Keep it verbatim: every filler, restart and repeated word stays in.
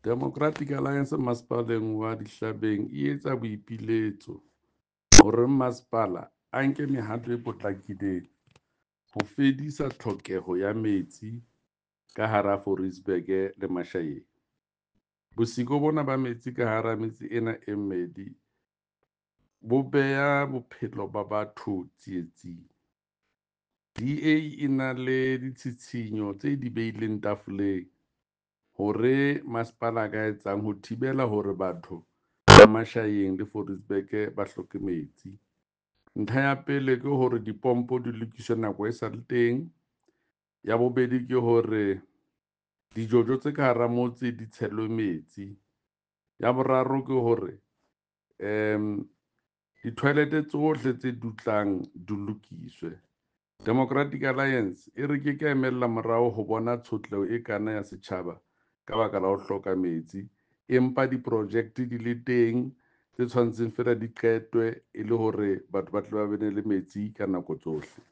Democratic Alliance masepaleng wa Dihlabeng e etsa boipiletso hore masepala a nke mehato e potlakileng ho fedisa tlhokeho ya metsi ka hara Fouriesburg le Mashayeng. Bosiko bona ba metsi ka hara metse ena e mmedi bo beha bophelo ba batho tsietsing. D A e na le ditshitshinyo tse di beileng tafoleng hore masepala a ka etsang ho thibela hore batho ba Mashayeng le Fouriesburg ba hloke metsi. Ntlha ya pele ke hore dipompo di lokiswe nako e sale teng. Ya bobedi ke hore dijojo tse ka hara motse di tshelwe metsi. Ya boraro ke hore um di-toilet tsohle tse dutlang di lokiswe. Democratic Alliance e re ke ka emella morao ho bona tshotleho e kana ya setjhaba ka baka la ho hloka metsi, empa diprojekte di le teng tse tshwanetseng feela di qetwe e le hore batho ba tle ba bene le metsi ka nako tsohle.